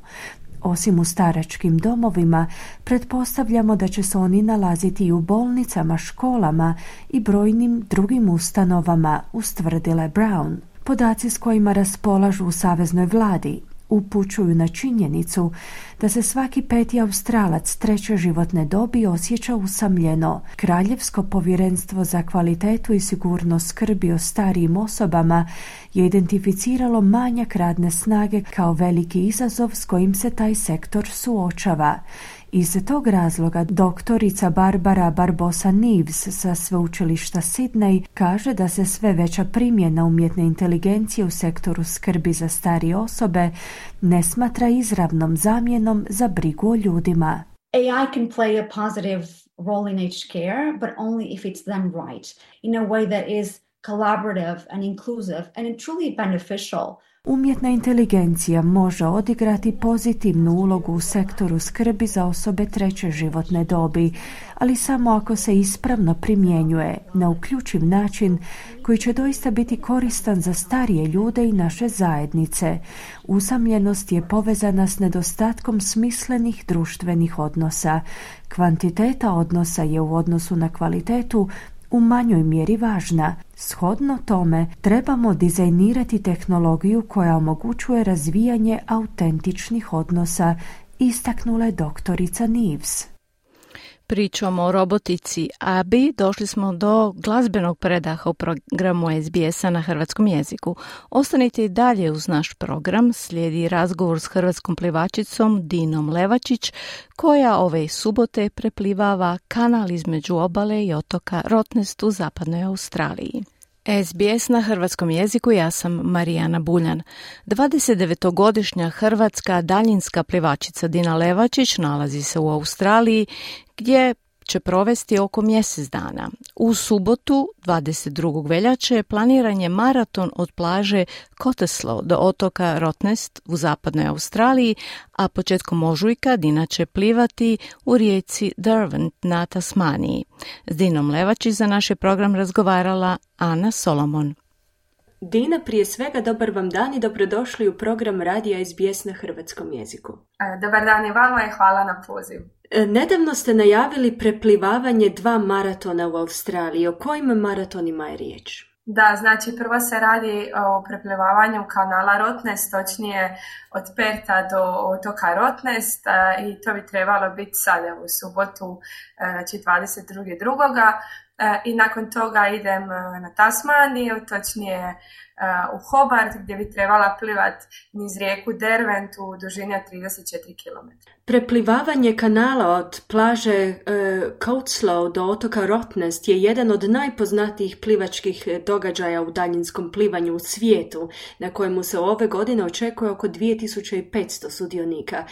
S1: Osim u staračkim domovima, pretpostavljamo da će se oni nalaziti i u bolnicama, školama i brojnim drugim ustanovama, ustvrdila Brown. Podaci s kojima raspolažu u saveznoj vladi upućuju na činjenicu da se svaki peti Australac treće životne dobi osjeća usamljeno. Kraljevsko povjerenstvo za kvalitetu i sigurnost skrbi o starijim osobama je identificiralo manjak radne snage kao veliki izazov s kojim se taj sektor suočava. Iz tog razloga doktorica Barbara Barbosa-Neves sa sveučilišta Sydney kaže da se sve veća primjena umjetne inteligencije u sektoru skrbi za starije osobe ne smatra izravnom zamjenom za brigu o ljudima.
S24: A I can play a positive role in aged care, but only if it's done right, in a way that is collaborative and inclusive and truly beneficial.
S1: Umjetna inteligencija može odigrati pozitivnu ulogu u sektoru skrbi za osobe treće životne dobi, ali samo ako se ispravno primjenjuje na uključiv način koji će doista biti koristan za starije ljude i naše zajednice. Usamljenost je povezana s nedostatkom smislenih društvenih odnosa. Kvantiteta odnosa je u odnosu na kvalitetu u manjoj mjeri važna. Shodno tome, trebamo dizajnirati tehnologiju koja omogućuje razvijanje autentičnih odnosa, istaknula je doktorica Neves.
S3: pričom o robotici Abi došli smo do glazbenog predaha u programu S B S-a na hrvatskom jeziku. Ostanite i dalje uz naš program, slijedi razgovor s hrvatskom plivačicom Dinom Levačić, koja ove subote preplivava kanal između obale i otoka Rottnest u zapadnoj Australiji. S B S na hrvatskom jeziku, ja sam Marijana Buljan. dvadesetdevetogodišnja hrvatska daljinska plivačica Dina Levačić nalazi se u Australiji gdje će provesti oko mjesec dana. U subotu, dvadeset drugog veljače, planiran je maraton od plaže Cottesloe do otoka Rottnest u zapadnoj Australiji, a početkom ožujka Dina će plivati u rijeci Derwent na Tasmaniji. S Dinom Levačić za naš je program razgovarala Ana Solomon.
S1: Dina, prije svega dobar vam dan i dobrodošli u program radija S B S na hrvatskom jeziku.
S4: Dobar dan i vama i hvala na pozivu.
S1: Nedavno ste najavili preplivavanje dva maratona u Australiji. O kojim maratonima je riječ?
S4: Da, znači prvo se radi o preplivavanju kanala Rottnest, točnije od Perta do otoka Rottnest i to bi trebalo biti sada u subotu, znači dvadeset drugog I nakon toga idem na Tasmaniju, točnije u Hobart, gdje bi trebala plivati niz rijeku Derwent u dužini od trideset četiri kilometra.
S1: Preplivavanje kanala od plaže uh, Cottesloe do otoka Rottnest je jedan od najpoznatijih plivačkih događaja u daljinskom plivanju u svijetu, na kojemu se ove godine očekuje oko dvije tisuće petsto sudionika.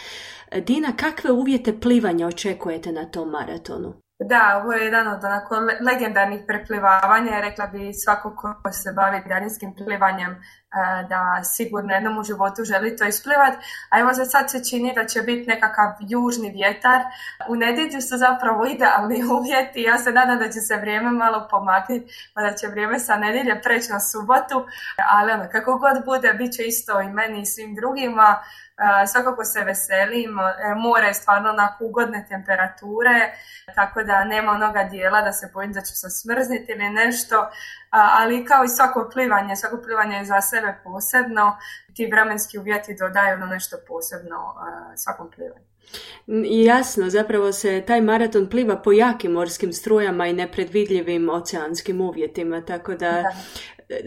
S1: Dina, kakve uvjete plivanja očekujete na tom maratonu?
S4: Da, ovo je jedan od onako legendarnih preplivavanja, rekla bi svako ko se bavi daljinskim plivanjem da sigurno jednom u životu želi to isplivati, a evo za sad se čini da će biti nekakav južni vjetar. U nedjelju su zapravo idealni uvjeti, ja se nadam da će se vrijeme malo pomaknuti, pa da će vrijeme sa nedjelje preći na subotu, ali ono, kako god bude, bit će isto i meni i svim drugima. Uh, svakako se veselim, more je stvarno onako ugodne temperature, tako da nema onoga dijela da se bojim da ću se smrzniti ili nešto, uh, ali kao i svako plivanje, svako plivanje je za sebe posebno, ti vremenski uvjeti dodaju na nešto posebno uh, svakom plivanju.
S1: Jasno, zapravo se taj maraton pliva po jakim morskim strujama i nepredvidljivim oceanskim uvjetima, tako da, da.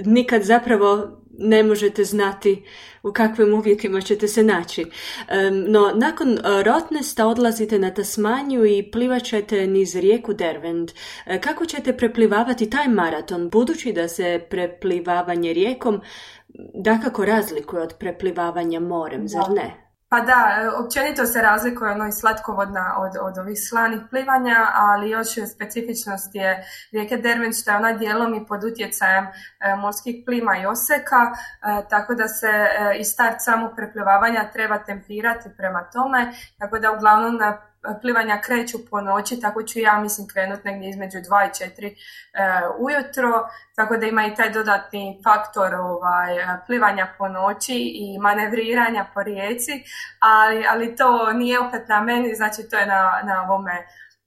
S1: nikad zapravo ne možete znati u kakvim uvjetima ćete se naći. No, nakon Rottnesta odlazite na Tasmaniju i plivat ćete niz rijeku Derwent. Kako ćete preplivavati taj maraton, budući da se preplivavanje rijekom dakako razlikuje od preplivavanja morem, zar ne?
S4: Pa da, općenito se razlikuje ono i slatkovodna od, od ovih slanih plivanja, ali još specifičnost je rijeke Derwent što je ona dijelom i pod utjecajem e, morskih plima i oseka, e, tako da se e, i start samog preplivavanja treba tempirati prema tome, tako da uglavnom na plivanja kreću po noći, tako ću ja mislim krenuti negdje između dva i četiri e, ujutro, tako da ima i taj dodatni faktor ovaj, plivanja po noći i manevriranja po rijeci, ali, ali to nije opet na meni, znači to je na, na ovome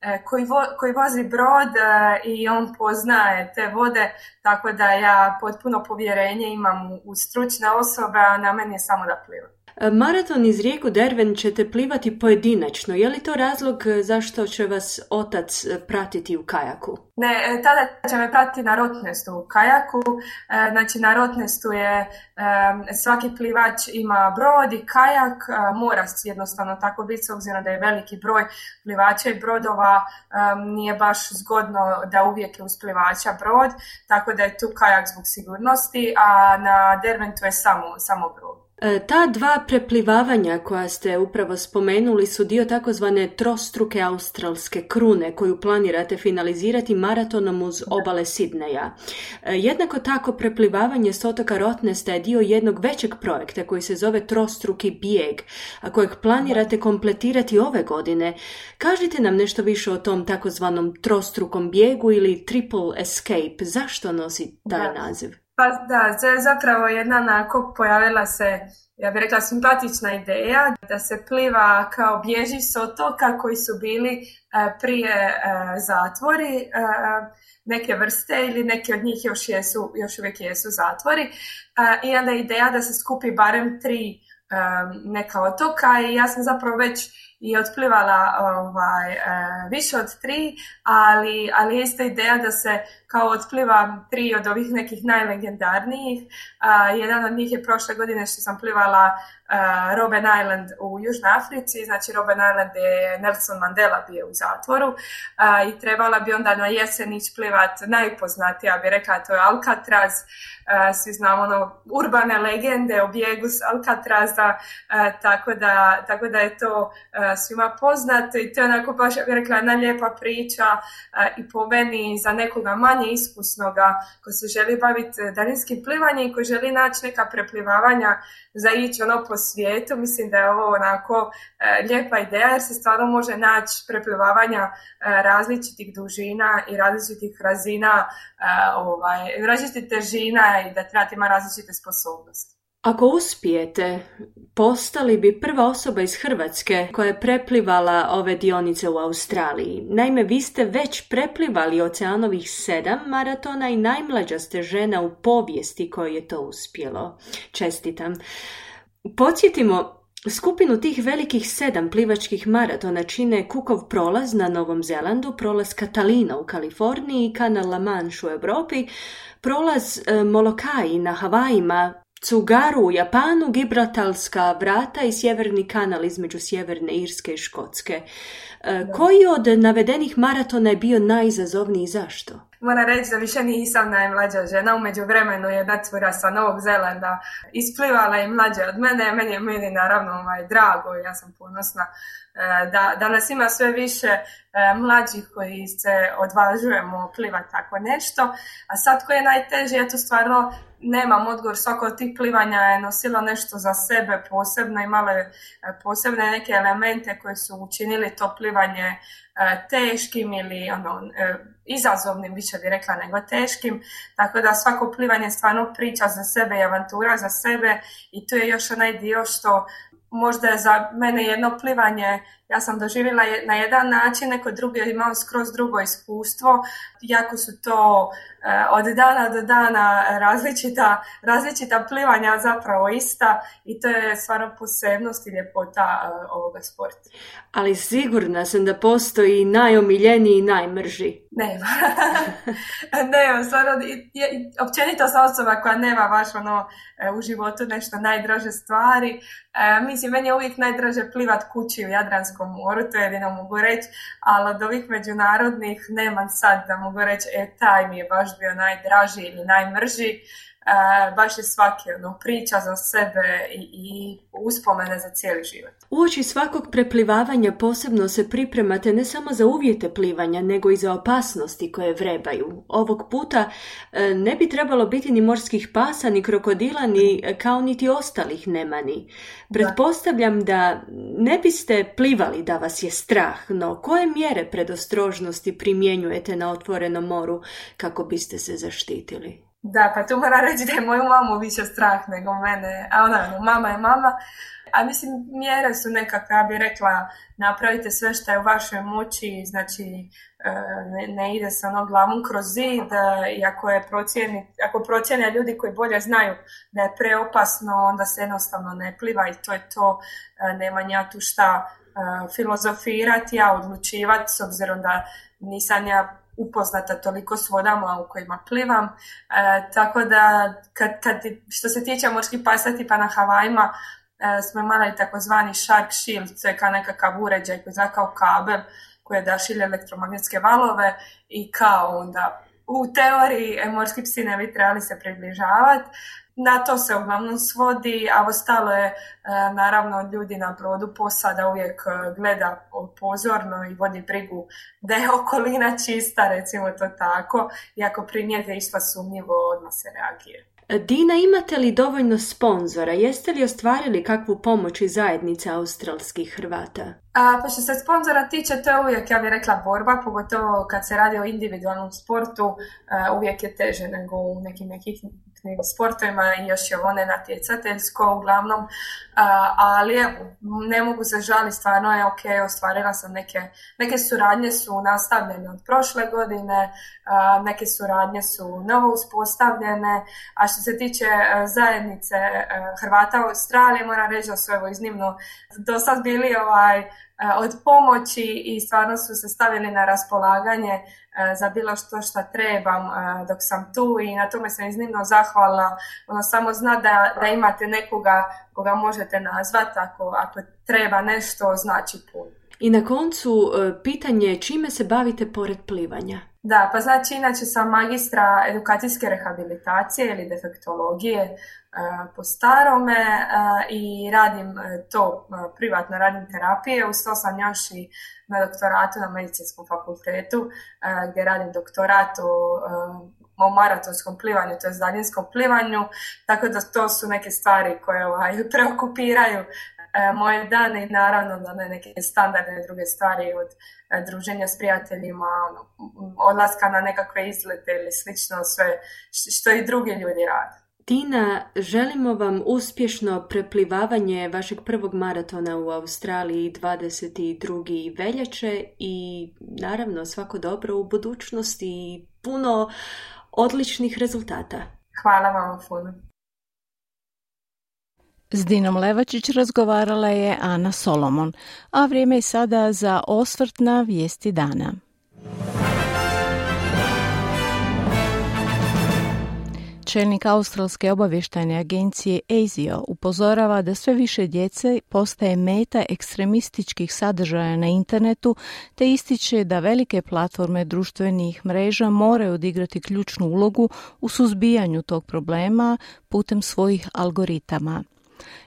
S4: e, koji, vo, koji vozi brod e, i on poznaje te vode, tako da ja potpuno povjerenje imam u, u stručne osobe, a na meni je samo da plivam.
S1: Maraton iz rijeku Derwent ćete plivati pojedinačno. Je li to razlog zašto će vas otac pratiti u kajaku?
S4: Ne, tada će me pratiti na Rottnestu u kajaku. Znači na Rottnestu je svaki plivač ima brod i kajak. Mora jednostavno tako biti s obzirom da je veliki broj plivača i brodova. Nije baš zgodno da uvijek je uz plivača brod, tako da je tu kajak zbog sigurnosti, a na Derwentu je samo, samo brod.
S1: Ta dva preplivavanja koja ste upravo spomenuli su dio takozvane trostruke australske krune koju planirate finalizirati maratonom uz obale Sidneja. Jednako tako preplivavanje s otoka Rottnesta je dio jednog većeg projekta koji se zove Trostruki bijeg, a kojeg planirate kompletirati ove godine. Kažite nam nešto više o tom takozvanom trostrukom bijegu ili triple escape. Zašto nosi taj naziv?
S4: Pa da, to je zapravo jedna onako pojavila se, ja bih rekla, simpatična ideja da se pliva kao bježi s otoka koji su bili uh, prije uh, zatvori uh, neke vrste ili neki od njih još, jesu, još uvijek jesu zatvori. Uh, I onda je ideja da se skupi barem tri um, neka otoka i ja sam zapravo već i otplivala ovaj, više od tri, ali, ali je isto ideja da se kao otpliva tri od ovih nekih najlegendarnijih. Uh, jedan od njih je prošle godine što sam plivala uh, Robben Island u Južnoj Africi. Znači Robben Island je Nelson Mandela bio u zatvoru uh, i trebala bi onda na jesen ići plivat najpoznatija, bi rekla, to je Alcatraz. Uh, svi znamo ono, urbane legende o bijegu s Alcatraza, uh, tako, da, tako da je to uh, svima poznato i to je onako baš, ja bih rekla, jedna lijepa priča uh, i po meni za nekoga manje iskusnoga ko se želi baviti daljinskim plivanjem i ko želi naći neka preplivavanja za ići ono po svijetu. Mislim da je ovo onako uh, lijepa ideja jer se stvarno može naći preplivavanja uh, različitih dužina i različitih razina, uh, ovaj, različitih težina i da trebate ima različite sposobnosti.
S6: Ako uspijete, postali bi prva osoba iz Hrvatske koja je preplivala ove dionice u Australiji. Naime, vi ste već preplivali oceanovih sedam maratona i najmlađa ste žena u povijesti kojoj je to uspjelo. Čestitam. Podsjetimo, skupinu tih velikih sedam plivačkih maratona čine Cookov prolaz na Novom Zelandu, prolaz Catalina u Kaliforniji, kanal La Manche u Europi, prolaz e, Molokai na Havajima, Tsugaru u Japanu, Gibraltarska vrata i sjeverni kanal između Sjeverne Irske i Škotske. E, koji od navedenih maratona je bio najizazovniji i zašto?
S4: Moram reći da više nisam najmlađa žena, u međuvremenu je jedna cura sa Novog Zelanda isplivala i mlađe od mene, meni je meni naravno ovaj, drago i ja sam ponosna da, da nas ima sve više mlađih koji se odvažujemo plivati tako nešto. A sad koje je najteže, ja to stvarno nemam odgovor, svako od tih plivanja je nosilo nešto za sebe posebno, imalo je posebne neke elemente koji su učinili to plivanje teškim ili ono, izazovnim, više bi rekla nego teškim, tako da svako plivanje je stvarno priča za sebe i avantura za sebe i tu je još onaj dio što možda je za mene jedno plivanje, ja sam doživjela na jedan način, neko drugi je imao skroz drugo iskustvo, jako su to eh, od dana do dana različita, različita plivanja zapravo ista i to je stvarno posebnost i ljepota eh, ovoga sporta.
S6: Ali sigurna sam da postoji najomiljeniji i najmrži.
S4: Nema. Nema, stvarno, općenito sam osoba koja nema baš ono u životu nešto najdraže stvari. E, mislim, meni je uvijek najdraže plivat kući u Jadranskom moru, to je jedino mogu reći, ali od ovih međunarodnih nemam sad da mogu reći, e, taj mi je baš bio najdraži ili najmrži. E, baš je svaki ono, priča za sebe i, i uspomene za cijeli život.
S6: Uoči svakog preplivavanja posebno se pripremate ne samo za uvjete plivanja, nego i za opasnosti koje vrebaju. Ovog puta e, ne bi trebalo biti ni morskih pasa, ni krokodila, ni kao niti ostalih nemani. Pretpostavljam da ne biste plivali da vas je strah, no koje mjere predostrožnosti primjenjujete na otvorenom moru kako biste se zaštitili?
S4: Da, pa tu moram reći da je moju mamu više strah nego mene, a ona, no, mama je mama. A mislim, mjere su nekakve, ja bih rekla, napravite sve što je u vašoj moći, znači ne, ne ide se ono glavom kroz zid i ako, je procijeni, ako procijene ljudi koji bolje znaju da je preopasno, onda se jednostavno ne pliva i to je to, nema ja tu šta filozofirati, ja odlučivati s obzirom da nisam ja upoznata toliko s vodama u kojima plivam, e, tako da kad, kad, što se tiče morskih pasa tipa na Havajima e, smo imali takozvani shark shield, to je kao nekakav uređaj koji je kao kabel koji dašilje elektromagnetske valove i kao onda u teoriji morski psi ne bi trebali se približavati. Na to se uglavnom svodi, a ostalo je, naravno, ljudi na brodu, posada uvijek gleda pozorno i vodi brigu da je okolina čista, recimo to tako, i ako primijete išta sumnjivo, odmah se reagira.
S6: Dina, imate li dovoljno sponzora? Jeste li ostvarili kakvu pomoć iz zajednice australskih Hrvata?
S4: A, pa što se sponzora tiče, to je uvijek, ja bih rekla, borba, pogotovo kad se radi o individualnom sportu, a, uvijek je teže nego u nekim nekih sportovima i još je ovo ne natjecateljsko uglavnom, a, ali evo, ne mogu se žaliti, stvarno je ok, ostvarila sam neke, neke suradnje su nastavljene od prošle godine, a, neke suradnje su novo uspostavljene, a što se tiče a, zajednice a, Hrvata u Australiji, moram reći da su evo iznimno do sad bili ovaj od pomoći i stvarno su se stavili na raspolaganje za bilo što što trebam dok sam tu i na tome sam iznimno zahvalna. Ono, samo zna da, da imate nekoga koga možete nazvati ako, ako treba nešto, znači puno.
S6: I na koncu pitanje čime se bavite pored plivanja?
S4: Da, pa znači inače sam magistra edukacijske rehabilitacije ili defektologije uh, po starome uh, i radim uh, to uh, privatno, radim terapije, uz to sam još i na doktoratu na medicinskom fakultetu uh, gdje radim doktorat o, uh, o maratonskom plivanju, to je daljinskom plivanju, tako da to su neke stvari koje ovaj, preokupiraju moje dane i naravno da ne neke standardne druge stvari od druženja s prijateljima, odlaska na nekakve izlete ili slično, sve što i drugi ljudi rade.
S6: Tina, želimo vam uspješno preplivavanje vašeg prvog maratona u Australiji dvadeset druge veljače i naravno svako dobro u budućnosti i puno odličnih rezultata.
S4: Hvala vam puno.
S3: S Dinom Levačić razgovarala je Ana Solomon, a vrijeme je sada za osvrt na vijesti dana. Čelnik australske obavještajne agencije A S I O upozorava da sve više djece postaje meta ekstremističkih sadržaja na internetu, te ističe da velike platforme društvenih mreža moraju odigrati ključnu ulogu u suzbijanju tog problema putem svojih algoritama.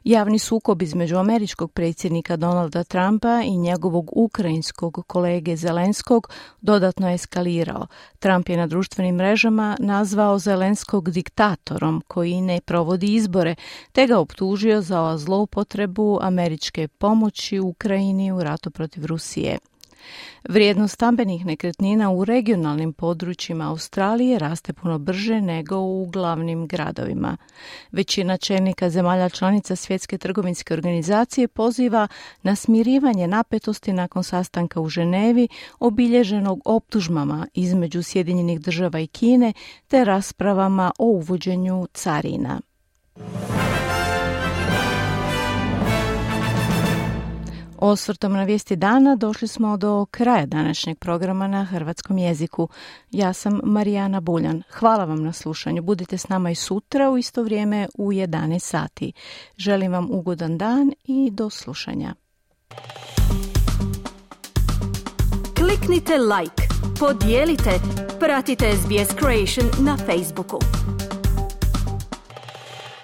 S3: Javni sukob između američkog predsjednika Donalda Trumpa i njegovog ukrajinskog kolege Zelenskog dodatno je eskalirao. Trump je na društvenim mrežama nazvao Zelenskog diktatorom koji ne provodi izbore, te ga optužio za zloupotrebu američke pomoći Ukrajini u ratu protiv Rusije. Vrijednost stambenih nekretnina u regionalnim područjima Australije raste puno brže nego u glavnim gradovima. Većina čelnika zemalja članica Svjetske trgovinske organizacije poziva na smirivanje napetosti nakon sastanka u Ženevi obilježenog optužbama između Sjedinjenih država i Kine te raspravama o uvođenju carina. Osvrtom na vijesti dana došli smo do kraja današnjeg programa na hrvatskom jeziku. Ja sam Marijana Buljan. Hvala vam na slušanju. Budite s nama i sutra u isto vrijeme u jedanaest sati. Želim vam ugodan dan i do slušanja.
S7: Kliknite like, podijelite, pratite S B S Creation na Facebooku.